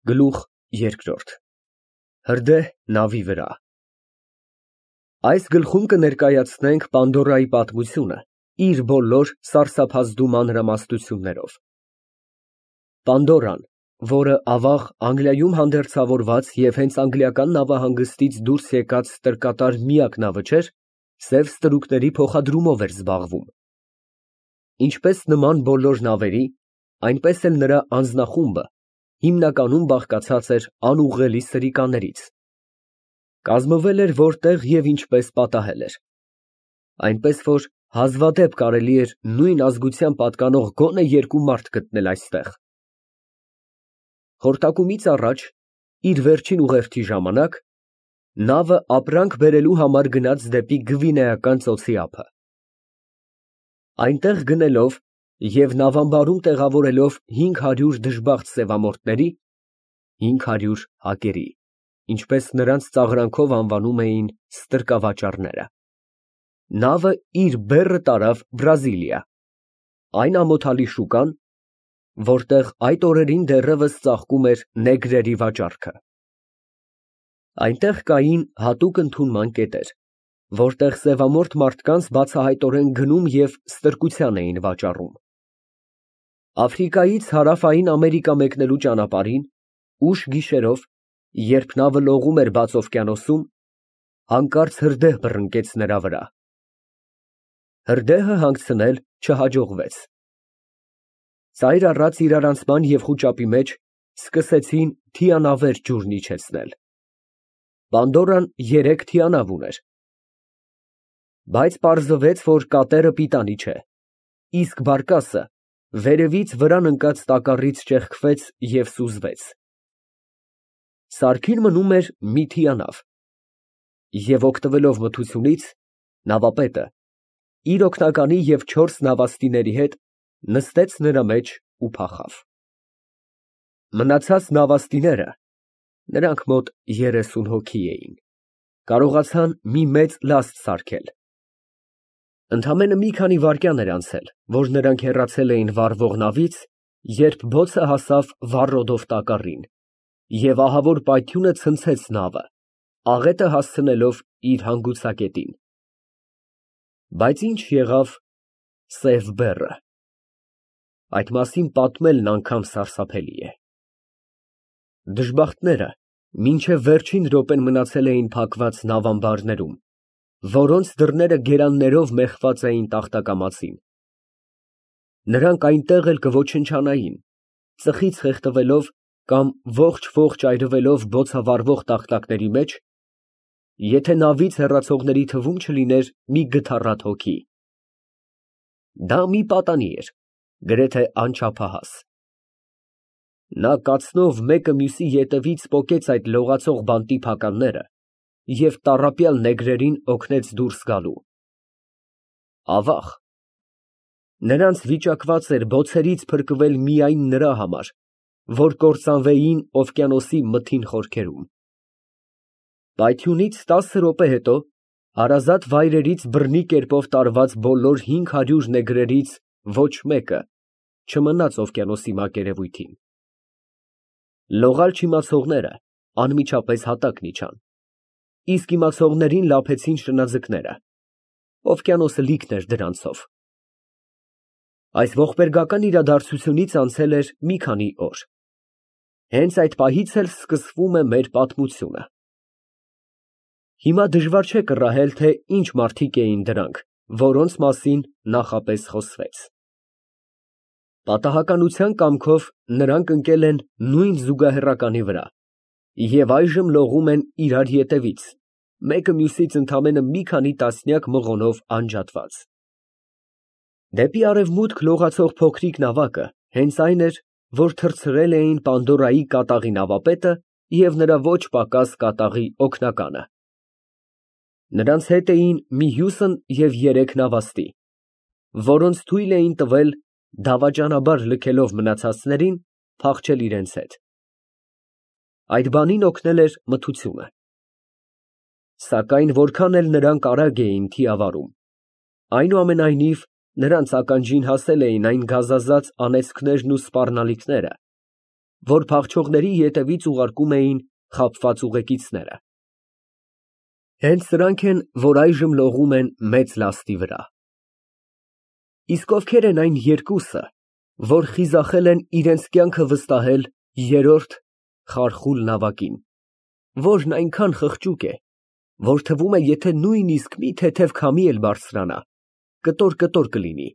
Գլուխ երկրորդ Հրդեհ նավի վրա Այս գլխում կներկայացնենք Պանդորայի պատմությունը իր բոլոր սարսափազդու մանրամասնություններով։ Պանդորան, որը ավաղ Անգլիայում հանդերձավորված և հենց անգլիական նավահանգստից դուրս եկած ստրկատար միակ նավը չէր, սև ստրուկների փոխադրումով էր զբաղվում։ Ինչպես նման բոլոր նավերի, այնպես էլ նրա անձնախումբը հիմնականում բաղկացած էր անուղղելի սրիկաներից։ Կազմվել էր որտեղ և ինչպես պատահել էր։ Այնպես որ հազվադեպ կարելի էր նույն ազգության պատկանող գոնե երկու մարդ գտնել այստեղ։ Խորտակումից առաջ, իր վերջին ուղերձի ժամանակ, նավը ապրանք բերելու համար գնաց դեպի Գվինեական ծոցի ափը։ Այնտեղ գնելով և նավամբարում տեղավորելով 500 դժբախտ սևամորթների (500 հակերի), ինչպես նրանց ծաղրանքով անվանում էին ստրկավաճառները, նավը իր բեռը տարավ Բրազիլիա, այն ամոթալի շուկան, որտեղ այդ օրերին դեռևս ծաղկում էր նեգրերի վաճառքը։ Այնտեղ կային հատուկ ընդունման կետեր, որտեղ սևամորթ մարդկանց բացահայտորեն գնում և ստրկության էին վաճառում։ Աֆրիկայից հարավային Ամերիկա մեկնելու ճանապարհին, ուշ գիշերով, երբ նավը լողում էր բաց օվկիանոսում, հանկարծ հրդեհ բռնկեց նրա վրա։ Հրդեհը հանգցնել չհաջողվեց։ Ծայր առած իրարանցման և խուճապի մեջ սկսեցին թիանավեր ջուրն իջեցնել։ Պանդորան 3 թիանավ ուներ։ Բայց պարզվեց, որ կատերը պիտանի չէ, իսկ բարկասը վերևից վրան ընկած տակառից ճեղքվեց և սուզվեց։ Սարքին մնում էր մի թիանավ, և օգտվելով մթությունից, նավապետը իր օգնականի և 4 նավաստիների հետ նստեց նրա մեջ ու փախավ։ Մնացած նավաստիները (նրանք մոտ 30 հոգի էին) կարողացան մի մեծ լաստ սարքել։ Ընդամենը մի քանի վայրկյան էր անցել, որ նրանք հեռացել էին վառվող նավից, երբ բոցը հասավ վառոդով տակառին, և ահավոր պայթյունը ցնցեց նավը, աղետը հասցնելով իր հանգուցակետին։ Բայց ի՞նչ եղավ սև բեռը։ Այդ մասին պատմելն անգամ սարսափելի է։ Դժբախտները մինչև վերջին րոպեն մնացել էին փակված նավամբարներում, որոնց դռները գերաններով մեխված էին տախտակամածին։ Նրանք այնտեղ էլ կոչնչանային, ծխից խեղդվելով կամ ողջ այրվելով բոցավառվող տախտակների մեջ, եթե նավից հեռացողների թվում չլիներ մի գթառատ հոգի։ Դա մի պատանի էր, գրեթե անչափահաս։ Նա կացնով մեկը մյուսի ետևից պոկեց այդ լողացող բանտի փականները և տառապյալ նեգրերին օգնեց դուրս գալու։ Ավաղ, նրանց վիճակված էր բոցերից փրկվել միայն նրա համար, որ կործանվեին օվկիանոսի մթին խորքերում։ Պայթյունից 10 րոպե հետո հարազատ վայրերից բռնի կերպով տարված բոլոր 500 նեգրերից ոչ մեկը չմնաց օվկիանոսի մակերևույթին։ Լողալ չիմացողները անմիջապես հատակն իջան, իսկ իմացողներին լափեցին շնաձկները, օվկիանոսը լիքն էր դրանցով։ Այս ողբերգական իրադարձությունից անցել էր մի քանի օր։ Հենց այդ պահից էլ սկսվում է մեր պատմությունը։ Հիմա դժվար չէ կռահել, թե ինչ մարդիկ էին դրանք, որոնց մասին նախապես խոսվեց։ Պատահականության կամքով նրանք ընկել են նույն զուգահեռականի վրա և այժմ լողում են իրար ետևից, մեկը մյուսից ընդամենը մի քանի տասնյակ մղոնով անջատված։ Դեպի արևմուտք լողացող փոքրիկ նավակը հենց այն էր, որ թռցրել էին Պանդորայի կատաղի նավապետը և նրա ոչ պակաս կատաղի օգնականը։ Նրանց հետ էին մի հյուսն և 3 նավաստի, որոնց թույլ էին տվել, դավաճանաբար լքելով մնացածներին, փախչել իրենց հետ։ Այդ բանին օգնել էր մթությունը։ Սակայն որքան էլ նրանք արագ էին թիավարում, այնուամենայնիվ նրանց ականջին հասել էին այն գազազած անեծքներն ու սպառնալիքները, որ փախչողների ետևից ուղարկում էին խաբված ուղեկիցները։ Հենց սրանք են, որ այժմ լողում են մեծ լաստի վրա։ Իսկ ովքեր են այն երկուսը, որ խիզախել են իրենց կյանքը վստահել երրորդ խարխուլ նավակին, որն այնքան խղճուկ է, որ թվում է, եթե նույնիսկ մի թեթև քամի էլ բարձրանա, կտոր կլինի,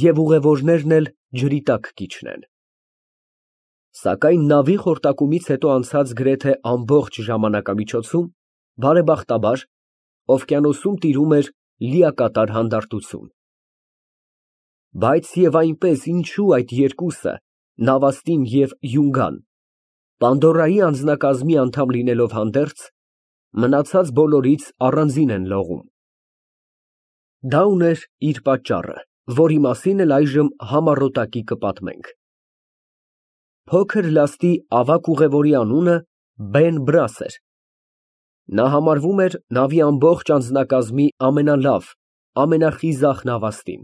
և ուղևորներն էլ ջրի տակ կիջնեն։ Սակայն նավի խորտակումից հետո անցած գրեթե ամբողջ ժամանակամիջոցում, բարեբախտաբար, օվկիանոսում տիրում էր լիակատար հանդարտություն։ Բայց և այնպես ինչու այդ երկուսը, Նավաստին և Յունգան, Պանդորայի անձնակազմի անդամ լինելով հանդերձ, մնացած բոլորից առանձին են լողում։ Դա ուներ իր պատճառը, որի մասին էլ այժմ համառոտակի կպատմենք։ Փոքր լաստի ավագ ուղևորի անունը Բեն Բրաս էր։ Նա համարվում էր նավի ամբողջ անձնակազմի ամենալավ, ամենախիզախ նավաստին։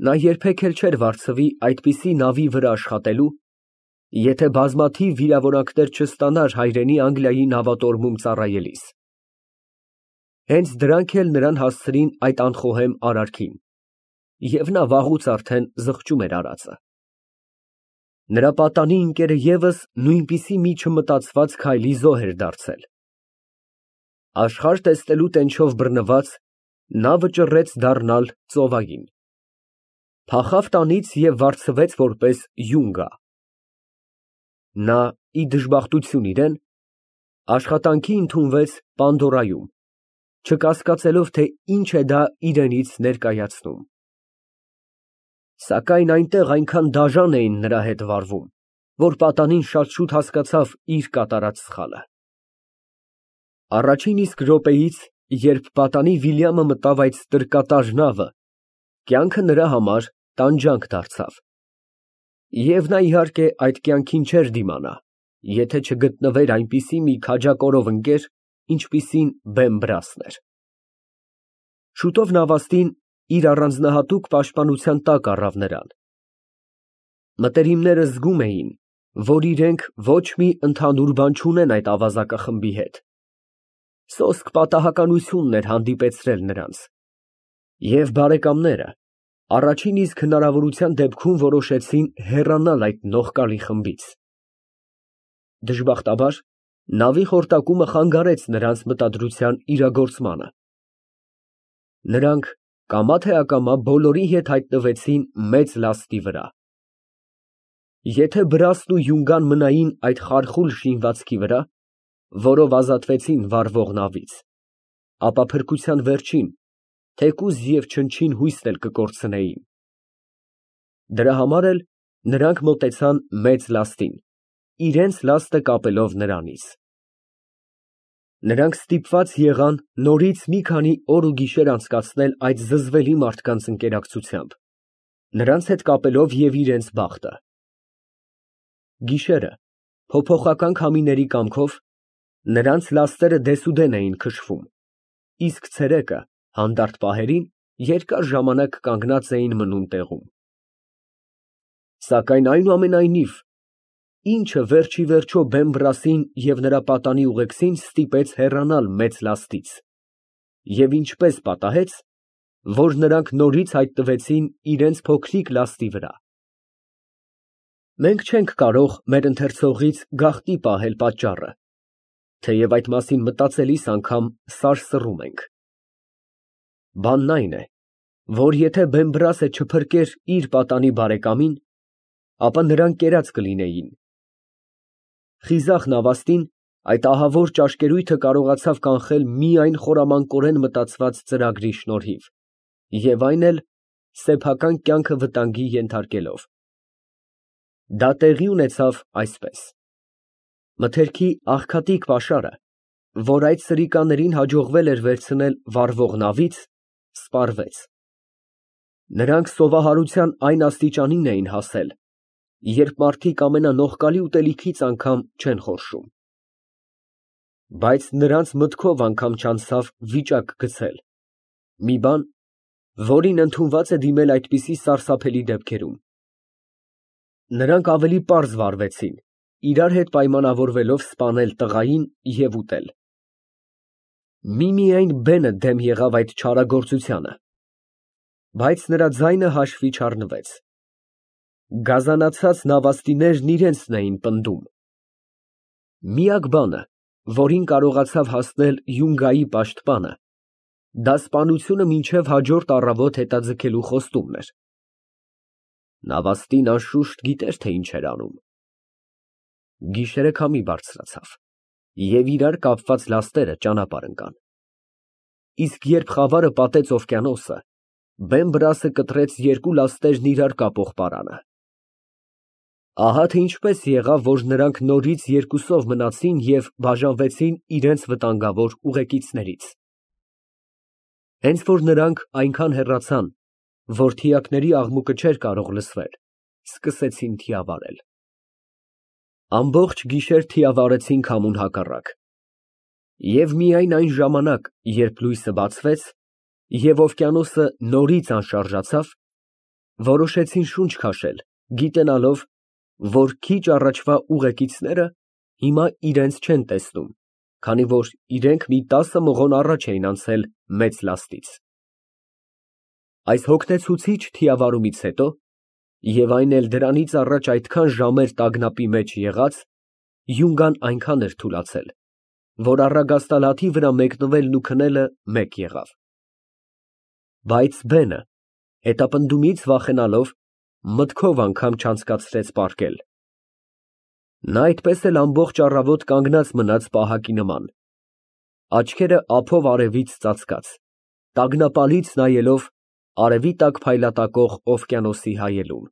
Նա երբեք էլ չէր վարձվի այդպիսի նավի վրա աշխատելու, եթե բազմաթիվ վիրավորանքներ չստանար հայրենի Անգլիայի նավատորմում ծառայելիս։ Հենց դրանք էլ նրան հասցրին այդ անխոհեմ արարքին, և նա վաղուց արդեն զղջում էր արածը։ Նրա պատանի ընկերը ևս նույնպիսի մի չմտածված քայլի զոհ էր դարձել։ Աշխարհ տեսնելու տենչով բռնված, նա վճռեց դառնալ ծովային։ Փախավ տանից և վարձվեց որպես յունգա։ Նա, ի դժբախտություն իրեն, աշխատանքի ընդունվեց Պանդորայում, չկասկածելով, թե ինչ է դա իրենից ներկայացնում։ Սակայն այնտեղ այնքան դաժան էին նրա հետ վարվում, որ պատանին շատ շուտ հասկացավ իր կատարած սխալը։ Առաջին իսկ րոպեից, երբ պատանի Վիլյամը մտավ այդ ստրկատար նավը, կյանքը նրա համար տանջանք դարձավ։ Եվ նա, իհարկե, այդ կյանքին չէր դիմանա, եթե չգտնվեր այնպիսի մի քաջակորով ընկեր, ինչպիսին Բեն Բրասն էր։ Շուտով նավաստին իր առանձնահատուկ պաշտպանության տակ առավ նրան։ Մտերիմները զգում էին, որ իրենք ոչ մի ընդհանուր բան չունեն այդ ավազակախմբի հետ։ Սոսկ պատահականությունն էր հանդիպեցրել նրանց։ Եվ բարեկամները առաջին իսկ հնարավորության դեպքում որոշեցին հեռանալ այդ նողկալի խմբից։ Դժբախտաբար, նավի խորտակումը խանգարեց նրանց մտադրության իրագործմանը։ Նրանք կամա թե ակամա բոլորի հետ հայտնվեցին մեծ լաստի վրա։ Եթե Բրասն ու Յունգան մնային այդ խարխուլ շինվածքի վրա, որով ազատվեցին վառվող նավից, ապա փրկության վերջին, թեկուզ և չնչին հույսն էլ կկորցնեին։ Դրա համար էլ նրանք մոտեցան մեծ լաստին, իրենց լաստը կապելով նրանից։ Նրանք ստիպված եղան նորից մի քանի օր ու գիշեր անցկացնել այդ զզվելի մարդկանց ընկերակցությամբ, նրանց հետ կապելով և իրենց բախտը։ Գիշերը, փոփոխական քամիների կամքով, նրանց լաստերը դեսուդեն էին քշվում, իսկ ցերեկը, հանդարտ պահերին, երկար ժամանակ կանգնած էին մնում տեղում։ Սակայն այնուամենայնիվ, ինչը վերջ ի վերջո Բեն Բրասին և նրա պատանի ուղեկցին ստիպեց հեռանալ մեծ լաստից, և ինչպես պատահեց, որ նրանք նորից հայտնվեցին իրենց փոքրիկ լաստի վրա։ Մենք չենք կարող մեր ընթերցողից գաղտնի պահել պատճառը, թեև այդ մասին մտածելիս անգամ սարսռում ենք։ Բանն այն է, որ եթե Բեն Բրասը չփրկեր իր պատանի բարեկամին, ապա նրանք կերած կլինեին։ Խիզախ նավաստին այդ ահավոր ճաշկերույթը կարողացավ կանխել միայն խորամանկորեն մտածված ծրագրի շնորհիվ, և այն էլ սեփական կյանքը վտանգի ենթարկելով։ Դա տեղի ունեցավ այսպես. մթերքի աղքատիկ պաշարը, որ այդ սրիկաներին հաջողվել էր վերցնել վառվող նավից, սպառվեց։ Նրանք սովահարության այն աստիճանին էին հասել, երբ մարդիկ ամենանողկալի ուտելիքից անգամ չեն խորշում։ Բայց նրանց մտքով անգամ չանցավ վիճակ գցել, մի բան, որին ընդունված է դիմել այդպիսի սարսափելի դեպքերում։ Նրանք ավելի պարզ վարվեցին, իրար հետ պայմանավորվելով սպանել տղային և ուտել։ Միմիայն Բենը դեմ եղավ այդ չարագործությանը, բայց նրա ձայնը հաշվի չառնվեց։ Գազանացած նավաստիներն իրենցն էին պնդում։ Միակ բանը, որին կարողացավ հասնել յունգայի պաշտպանը, դա սպանությունը մինչև հաջորդ առավոտ հետաձգելու խոստումն էր։ Նավաստին անշուշտ գիտեր, թե ինչ էր անում։ Գիշերը քամի բարձրացավ, և իրար կապված լաստերը ճանապարհ ընկան։ Իսկ երբ խավարը պատեց օվկիանոսը, Բեն֊Բրասը կտրեց երկու լաստերն իրար կապող պարանը։ Ահա թե ինչպես եղավ, որ նրանք նորից երկուսով մնացին և բաժանվեցին իրենց վտանգավոր ուղեկիցներից։ Հենց որ նրանք այնքան հեռացան, որ թիակների աղմուկը չէր կարող լսվել, սկսեցին թիավարել։ Ամբողջ գիշեր թիավարեցին քամուն հակառակ։ Եվ միայն այն ժամանակ, երբ լույսը բացվեց, և օվկիանոսը նորից անշարժացավ, որոշեցին շունչ քաշել, գիտենալով, որ քիչ առաջվա ուղեկիցները հիմա իրենց չեն տեսնում, քանի որ իրենք մի 10 մղոն առաջ էին անցել մեծ լաստից։ Այս հոգնեցուցիչ թիավարումից հետո, և այն էլ դրանից առաջ այդքան ժամեր տագնապի մեջ եղած, յունգան այնքան էր թուլացել, որ առագաստալաթի վրա մեկնվելն ու քնելը մեկ եղավ։ Բայց Բենը, հետապնդումից վախենալով, մտքով անգամ չանցկացրեց պառկել։ Նա այդպես էլ ամբողջ առավոտ կանգնած մնաց պահակի նման, աչքերը ափով արևից ծածկած, տագնապալից նայելով արևի տակ փայլատակող օվկիանոսի հայելուն։